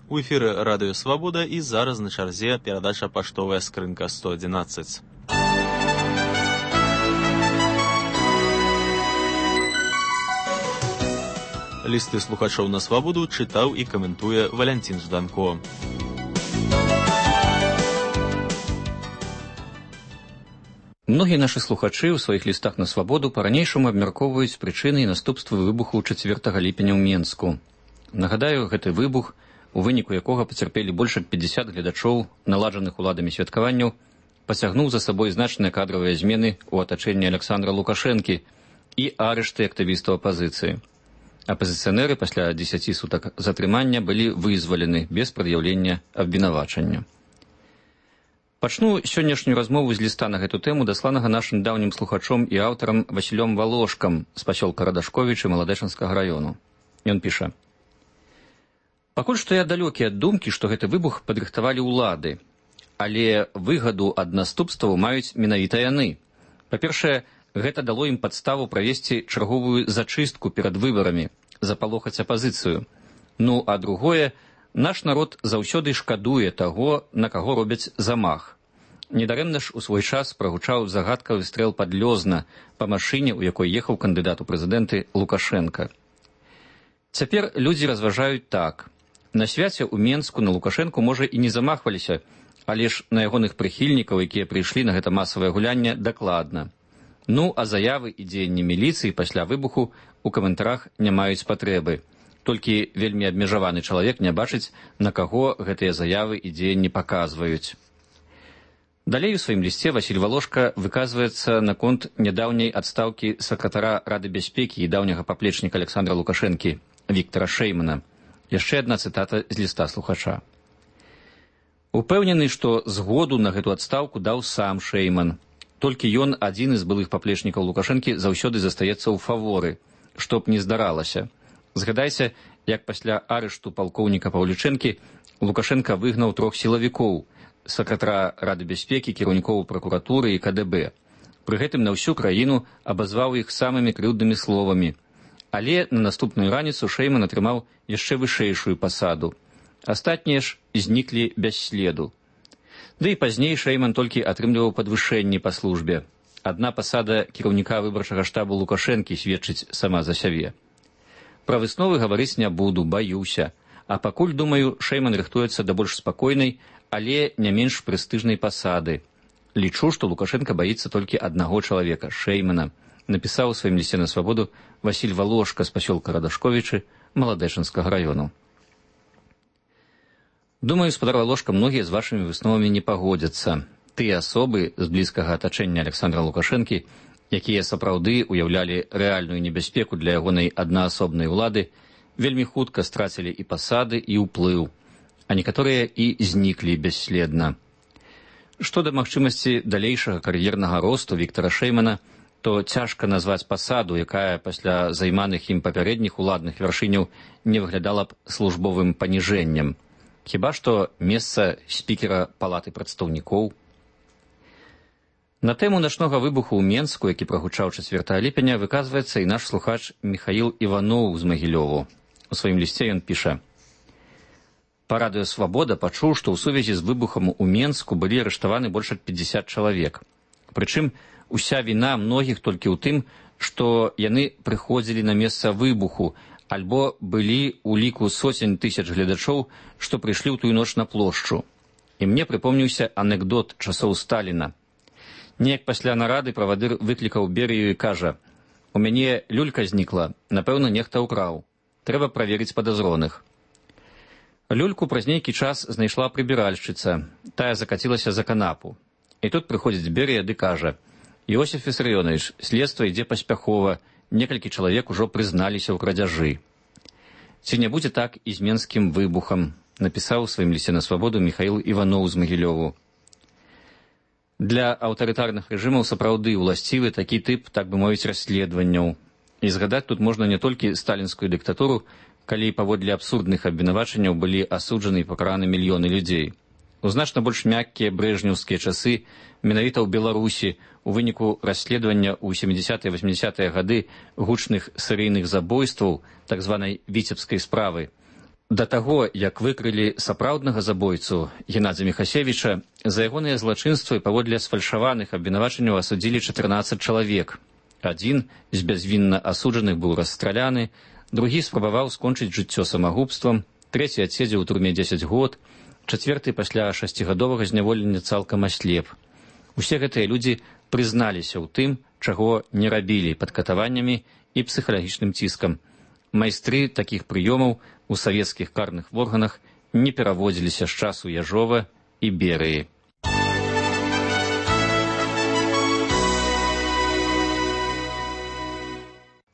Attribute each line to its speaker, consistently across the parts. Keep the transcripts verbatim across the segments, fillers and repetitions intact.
Speaker 1: У эфіры радыё Свабода і зараз на чарзе перадача паштовая скрынка сто адзінаццаць. Лісты слухачоў на Свабоду чытаў і каментуе Валянцін Жданко.
Speaker 2: Многія нашы слухачы ў сваіх лістах на Свабоду па-ранейшаму абмяркоўваюць прычыны і наступствы выбуху чацвёртага ліпеня ў Менску. Нагадаю, гэты выбух, у выніку якога пацярпелі больш як пятьдесят гледачоў наладжаных уладамі святкаванняў, пацягнуў за сабой значныя кадравыя змены ў атачэнні Александра Лукашэнкі і арышты актывістаў апазіцыі. Апазіцыянеры пасля дзесяці сутак затрымання былі вызвалены без прад'яўлення абвінавачання. Пачну сённяшнюю размову з ліста на гэту тэму, дасланага нашым даўнім слухачом і аўтарам Васілём Валошкам з пасёлка Радашковічы Маладэчанскага раёну. Ён піша: «Пакуль што я далёкі ад думкі, што гэты выбух падрыхтавалі ўлады, але выгаду ад наступстваў маюць менавіта яны. Па-першае, гэта дало ім падставу правесці чарговую зачыстку перад выбарамі, запалохаць апазіцыю. Ну, а другое, наш народ заўсёды шкадуе таго, на каго робяць замах. Недарэмна ж у свой час прагучаў загадкавы стрэл пад Лёзна па машыне, у якой ехаў кандыдат у прэзідэнты Лукашенка. Цяпер людзі разважаюць так. На свяце ў Менску на Лукашэнку, можа, і не замахваліся, але ж на ягоных прыхільнікаў, якія прыйшлі на гэта масавае гулянне, дакладна. Ну, а заявы і дзеянні міліцыі пасля выбуху у каментарах не маюць патрэбы. Толькі вельмі абмежаваны чалавек не бачыць, на каго гэтыя заявы і дзеянні паказваюць». Далей у сваім лісце Васіль Валошка выказваецца наконт нядаўняй адстаўкі сакратара Рады бяспекі і даўняга паплечніка Александра Лукашэнкі Віктара Шэймана. Яшчэ адна цытата з ліста слухача. «Упэўнены, што згоду на гэту адстаўку даў сам Шэйман. Толькі ён, адзін з былых паплечнікаў Лукашэнкі, заўсёды застаецца ў фаворы, што б не здаралася. Згадайся, як пасля арышту палкоўніка Паўлічэнкі Лукашенка выгнаў трох сілавікоў, сакратара Рады бяспекі, кіраўнікоў пракуратуры і ка дэ бэ. Пры гэтым на ўсю краіну абазваў іх самымі крыўднымі словамі. Але на наступную раніцу Шэйман атрымаў яшчэ вышэйшую пасаду. Астатнія ж зніклі без следу. Ды і пазней Шэйман толькі атрымліваў падвышэнні па службе. Адна пасада кіраўніка выбарчага штабу Лукашэнкі сведчыць сама за сябе. Пра высновы гаварыць не буду, баюся. А пакуль, думаю, Шэйман рыхтуецца да больш спакойнай, але не менш прэстыжнай пасады. Лічу, што Лукашэнка баіцца толькі аднаго чалавека, Шэймана», напісаў у сваім лісце на Свабоду Васіль Валошка з пасёлка Радашковічы Маладэчанскага раёну. Думаю, спадар Валошка, многія з вашымі высновамі не пагодзяцца. Тыя асобы з блізкага атачэння Александра Лукашэнкі, якія сапраўды уяўлялі рэальную небяспеку для ягонай аднаасобнай улады, вельмі хутка страцілі і пасады, і ўплыў, а некаторыя і зніклі бясследна. Што да магчымасці далейшага кар'ернага росту Віктара Шэймана, то цяжка назваць пасаду, якая пасля займаных ім папярэдніх уладных вяршыняў не выглядала б службовым паніжэннем. Хіба што месца спікера палаты прадстаўнікоў. На тэму начнога выбуху ў Менску, які прагучаў чацвёртага ліпеня, выказваецца і наш слухач Міхаіл Іваноў з Магілёву. У сваім лісце ён піша: «Па радыё Свабода пачуў, што ў сувязі з выбухам у Менску былі арыштаваны больш як пятьдесят чалавек. Прычым, уся віна многіх толькі ў тым, што яны прыходзілі на месца выбуху, альбо былі ў ліку соцень тысяч гледачоў, што прыйшлі ў тую ноч на плошчу. І мне прыпомніўся анекдот часоў Сталіна. Неяк пасля нарады правадыр выклікаў Берыю і кажа: «У мяне люлька знікла, напэўна, нехта ўкраў. Трэба праверыць падазроных». Люльку праз нейкі час знайшла прыбіральшчыца, тая закацілася за канапу. І тут прыходзіць Берыя ды кажа: «Іосиф Вісарыёнович, следства ідзе паспяхова, некалькі чалавек ужо прызналіся ў крадзяжы». Ці не будзе так і з менскім выбухам, напісаў у сваім лісце на Свабоду Міхаіл Іваноў з Магілёву. Для аўтарытарных рэжымаў сапраўды ўласцівы такі тып, так бы мовіць, расследаванняў. І згадаць тут можна не толькі сталінскую дыктатуру, калі паводле абсурдных абвінавачанняў былі асуджаны і пакараны мільёны людзей. У значна больш мяккія брэжнеўскія часы, менавіта ў Беларусі, у выніку расследавання ў сямідзясятыя восьмідзясятыя гады гучных серыйных забойстваў, так званай віцебскай справы, Да таго, як выкрылі сапраўднага забойцу Геннадзя Міхасевіча, за ягоныя злачынствы паводле сфальшаваных абвінавачанняў асудзілі чатырнаццаць чалавек. Адзін з бязвінна асуджаных быў расстраляны, другі спрабаваў скончыць жыццё самагубствам, трэці адседзеў у турме дзесяць год, чацвёрты пасля шасцігадовага зняволення цалкам аслеп. Усе гэтыя людзі прызналіся ў тым, чаго не рабілі пад катаваннямі і псіхалагічным ціскам. Майстры такіх прыёмаў у савецкіх карных органах не пераводзіліся з часу Яжова і Берыі.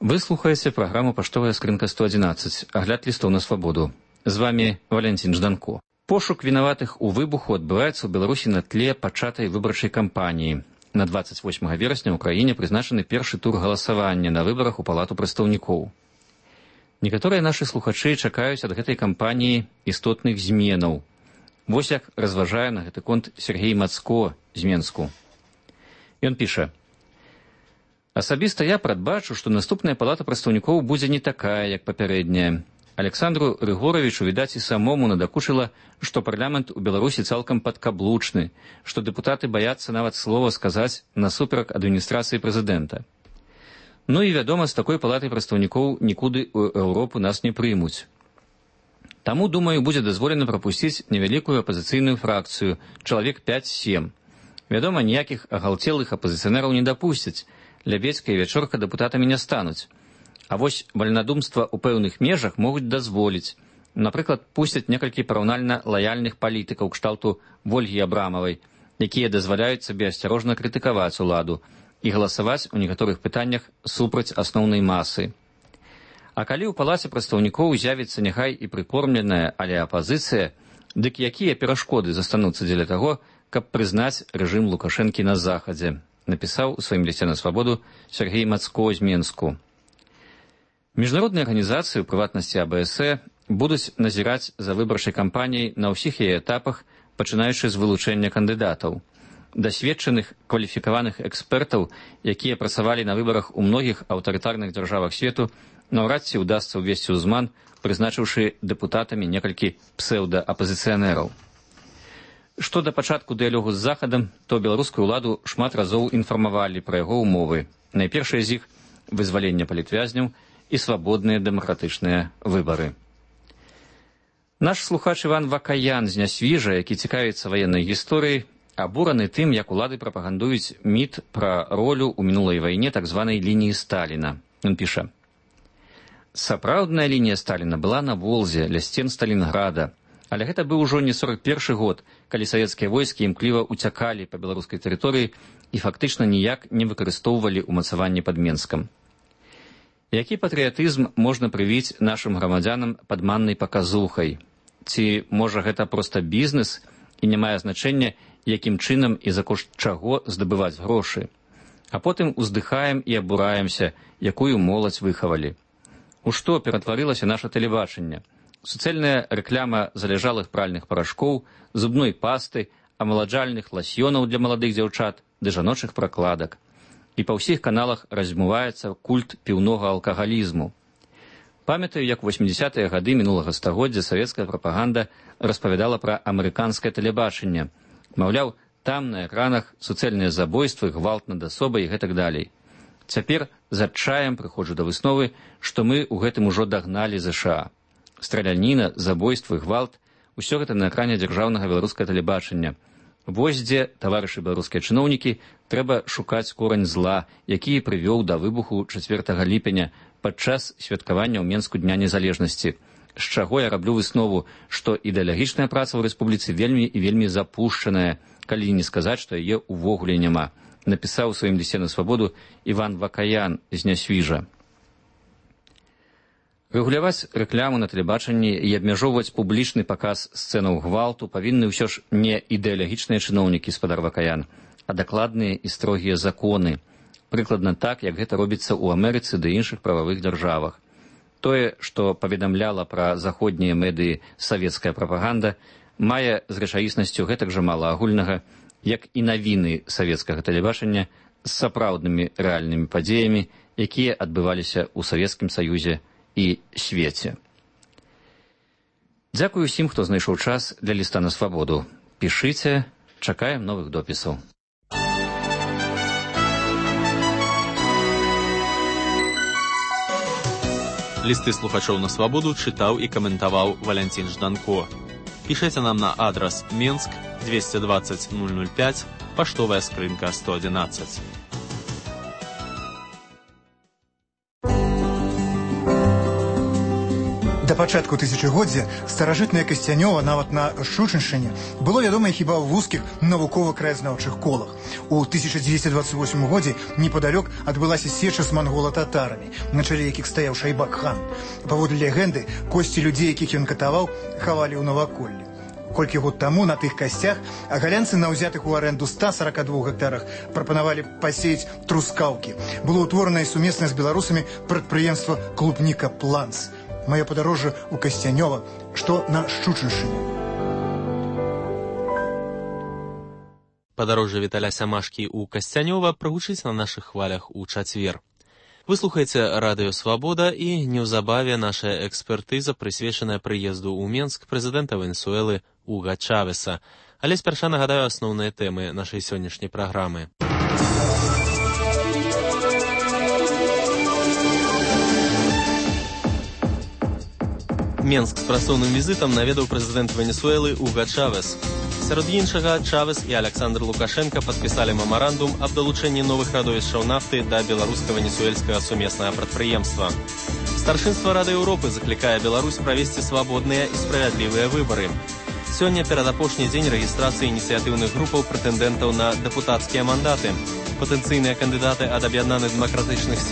Speaker 2: Вы слухаеце праграму «Паштовая скрынка сто адзінаццаць», агляд лістоў на свабоду. З вамі Валянцін Жданко. Пошук вінаватых у выбуху адбываецца ў Беларусі на тле пачатай выбарчай кампаніі. На дваццаць восьмага верасня ў краіне прызначаны першы тур галасавання на выбарах у Палату прадстаўнікоў. Некаторыя нашы слухачы чакаюць ад гэтай кампаніі істотных зменаў. Вось як разважае на гэты конт Сергей Мацко з Менску. Ён піша: «Асабіста я прадбачу, што наступная Палата прадстаўнікоў будзе не такая, як папярэдняя. Александру Рыгоровичу, відаць, і самому надакучыла, што парламент у Беларусі цалкам падкаблучны, што дэпутаты баяцца нават слова сказаць насуперак адміністрацыі прэзідэнта. Ну і, вядома, з такой палатай прадстаўнікоў нікуды ў Еўропу нас не прымуць. Таму, думаю, будзе дазволена прапусціць невялікую апазіцыйную фракцыю, чалавек пяць-сем. Вядома, ніякіх агалтелых апазіцыянераў не дапусцяць, Лябедзька і Вячорка дэпутатамі не стануць. А вось вальнадумства ў пэўных межах могуць дазволіць. Напрыклад, пусцяць некалькі параўнальна лаяльных палітыкаў кшталту Вольгі Абрамавай, якія дазваляюць сабе асцярожна крытыкаваць уладу і галасаваць у некаторых пытаннях супраць асноўнай масы. А калі ў Палаце прадстаўнікоў з'явіцца няхай і прыкормленая, але апазіцыя, дык якія перашкоды застануцца дзеля таго, каб прызнаць рэжым Лукашэнкі на захадзе, напісаў у сваім лісце на свабоду Сергей Мацко з Менску. Міжнародныя арганізацыі, у прыватнасці А Б С Э, будуць назіраць за выбарчай кампаніяй на ўсіх яе этапах, пачынаючы з вылучэння кандыдатаў. Дасведчаных, кваліфікаваных экспертаў, якія працавалі на выбарах у многіх аўтарытарных дзяржавах свету, наўрад ці ўдасца ўвесці ўзман, прызначыўшы дэпутатамі некалькі псеўдаапазіцыянераў. Што да пачатку дыялогу з Захадам, то беларускую ўладу шмат разоў інфармавалі пра яго ўмовы. Найпершыя з іх – вызваленне палітвязняў і свабодныя дэмакратычныя выбары. Наш слухач Іван Вакаян з Нясвіжа, які цікавіцца ваеннай гісторыяй, абураны тым, як улады прапагандуюць міт пра ролю ў мінулай вайне так званай лініі Сталіна. Ён піша: «Сапраўдная лінія Сталіна была на Волзе, ля сцен Сталінграда, але гэта быў ужо не сорак першы год, калі савецкія войскі імкліва ўцякалі па беларускай тэрыторыі і фактычна ніяк не выкарыстоўвалі ўмацаванне пад Менскам. Які патрыятызм можна прывіць нашым грамадзянам падманнай паказухай? Ці, можа, гэта проста бізнес і не мае значэння, якім чынам і за кошт чаго здабываць грошы? А потым уздыхаем і абураемся, якую моладзь выхавалі. У што ператварылася наша тэлебачанне? Суцэльная рэкляма залежалых пральных парашкоў, зубной пасты, амаладжальных ласьёнаў для маладых дзяўчат ды жаночых пракладак. І па ўсіх каналах размываецца культ піўнога алкагалізму. Памятаю, як у восьмідзясятыя гады мінулага стагоддзя савецкая прапаганда распавядала пра амерыканскае тэлебачанне. Маўляў, там на экранах суцэльныя забойствы, гвалт над асобай і гэтак далей. Цяпер з адчаем прыходжу да высновы, што мы ў гэтым ужо дагналі ЗША. Страляніна, забойствы, гвалт – усё гэта на экране дзяржаўнага беларускага тэлебачання. Вось дзе, таварышы беларускія чыноўнікі, трэба шукаць корань зла, які прывёў да выбуху чацвёртага ліпеня падчас святкавання ў Менску Дня незалежнасці. З чаго я раблю выснову, што ідэалагічная праца ў рэспубліцы вельмі і вельмі запушчаная, калі не сказаць, што яе ўвогуле няма, напісаў у сваім лісце на свабоду Іван Вакаян з Нясвіжа. Рэгуляваць рэкляму на тэлебачанні і абмяжоўваць публічны паказ сцэнаў гвалту павінны ўсё ж не ідэалагічныя чыноўнікі, спадар Вакаян, а дакладныя і строгія законы. Прыкладна так, як гэта робіцца ў Амерыцы ды іншых прававых дзяржавах. Тое, што паведамляла пра заходнія медыі савецкая прапаганда, мае з рэчаіснасцю гэтак жа мала агульнага, як і навіны савецкага тэлебачання з сапраўднымі рэальнымі падзеямі, якія адбываліся ў Савецкім Саюзе і свеце. Дзякую усім, хто знайшоў час для ліста на свабоду. Пішыце, чакаем новых допісаў.
Speaker 1: Лісты слухачоў на свабоду чытаў і каментаваў Валянцін Жданко. Пішыце нам на адрас Менск двести двадцать ноль ноль пять, паштовая скрынка сто одиннадцать.
Speaker 3: Да пачатку тысячагоддзя старажытнае Касцянёва нават на Шчучыншчыне было вядомае хіба ў вузкіх навукова-краязнаўчых колах. У тысяча дзевяцьсот двадцать восьмым годзе непадалёк адбылася сеча з мангола-татарамі, на чале якіх стаяў Шайбак-хан. Паводле легенды, косці людзей, якіх ён катаваў, хавалі ў наваколлі. Колькі год таму на тых касцях агалянцы на ўзятых у арэнду ста сорока двух гектарах прапанавалі пасеяць трускаўкі. Было ўтворанае сумеснае з беларусамі прадпрыемства «Клубніка Планс». Маё падарожжа ў Касцянёва, што на Шчучыншчыне.
Speaker 1: Падарожжа Віталя Сямашкі ў Касцянёва прагучыць на нашых хвалях у чацвер. Вы слухаеце радыё «Свабода» і неўзабаве наша экспертыза, прысвечаная прыезду ў Менск прэзідэнта Венесуэлы Уга Чавеса. Але спярша нагадаю асноўныя тэмы нашай сённяшняй праграмы. Менск з працоўным візітам наведаў прэзідэнт Венесуэлы Уга Чавес. Сярод іншага, Чавес і Александр Лукашенка падпісалі мемарандум аб далучэнні новых радовішчаў нафты да беларуска-венесуэльскага сумеснага прадпрыемства. Старшынства Рады Еўропы заклікае Беларусь правесці свабодныя і справядлівыя выбары. Сёння перадапошні дзень рэгістрацыі ініцыятыўных групаў прэтэндэнтаў на дэпутацкія мандаты. Патэнцыйныя кандыдаты ад аб'яднаных дэмакратычных сіл